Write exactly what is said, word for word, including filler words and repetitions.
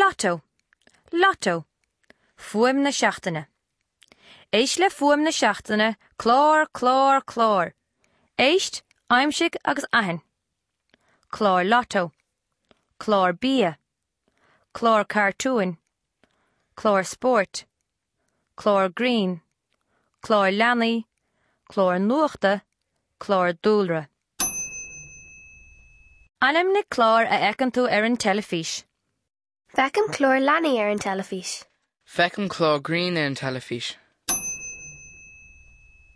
Lotto. Lotto. Fuaim na seachtaine. Éist le fuaim na seachtaine, clár, clár, clár. Éist, aimsigh agus aithin. Clár Lotto. Clár bia. Clár cartúin. Clár spóirt. Clár grinn. Clár leanaí, clár nuachta, clár dúlra. Ainmnigh clár a fheiceann tú ar an teilifís. Feicim clár leanaí ar an teilifís. Feicim clár grinn ar an teilifís.